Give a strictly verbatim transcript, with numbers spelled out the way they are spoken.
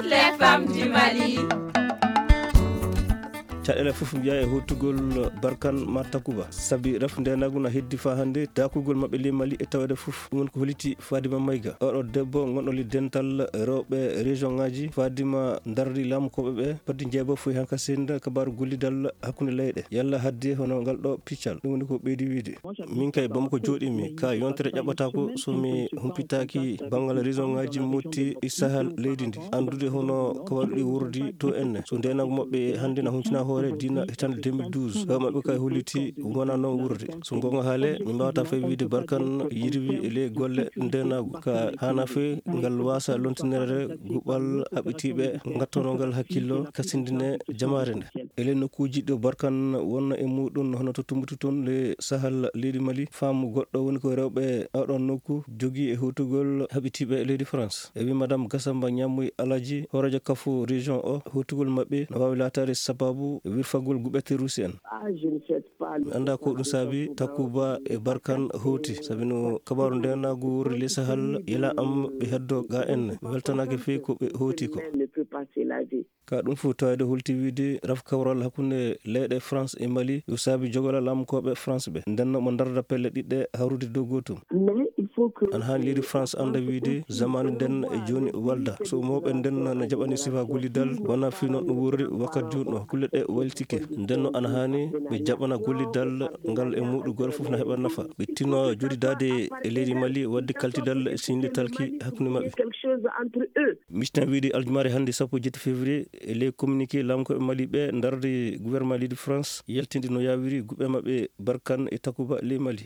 Les femmes du Mali. Caɗeele fof mbiya e hootugol Barkan ma Takuba. Sabi ref ndenagu na heddi fa hannde dakugol maɓɓe ley Mali e tawede fof. Ɗum woni ko holiti Fadima Mayga. Oɗo debbo gonɗo ley dental rewɓe région ngaji. Fadima darri laamu koɓe ɓe. Faddi jeebo foy hanka senda kabaru gollidal hakkunde leyɗe. Yalla hadde hono ngal ɗo piccal. Ɗum woni ko ɓeydi wiide. Min kay Bamako jooɗimi, ka yontere ƴaɓɓataako so mi humpitaaki banngal région ngaji motti e sahal leydi ndi. Anndude hono ko waɗi ɗi wurdi to enne. So ndenagu maɓɓe hannde na huncina hoore dina hitande deux mille douze. Hew maɓɓe kay holliti wona noon wurdi. So gonga haale, mi mbawata fay wiide Barkan yirwi e ley golle ndenagu. Ka hana fey ngal wasa lontinere guɓal haɓitiɓe ngattono ngal hakkillo kasindine jamaare nde. E ley nokkuuji ɗo Barkan wonna e muɗum hono to Tumbutu toon le sahal leydi Mali, faamu goɗɗo woni ko rewɓe oɗon nokku jogii e hotugol haɓitiiɓe e leydi France. E wi Madame Gassamba Ñammoy Alaji, hooreejo kafu région o, hotugol maɓɓe no waawi laataade sababu wirfagol guɓe terroriste en. Mi annda ko ɗum saabi Takuba e Barkan hoti, sabi no kabaru ndenagu wurri le sahal yela am ɓe heddo ga en weltanake fey ko ɓe hoti ko. Ka ɗum fof tawede holti wiide raf kawral hakkunde leyɗe France e Mali yo saabi jogola laamukooɓe France ɓe ndenno mo darda pelle ɗiɗɗe hawrude dow gootum. Ana haani leydi France annda wiide zamani nden e jooni walda so mawɓe ndenno na jaɓani sifa gollidal wona fii noon ɗum wurri wakkat jooni ɗo kulle ɗe walitike. Ndenno ana haani ɓe jaɓana gollidal ngal e muɗugol fof na heɓa nafa ɓe tinno jodidade e leydi Mali wadde kaltidal e sinde talki hakkunde maɓɓe. Michten wiide aljumare hannde sappo jetti février e ley communiqué laamukooɓe Mali ɓe darde gouvernement leydi France yaltinde no yawiri guɓe maɓɓe Barkan e Takuba ley Mali.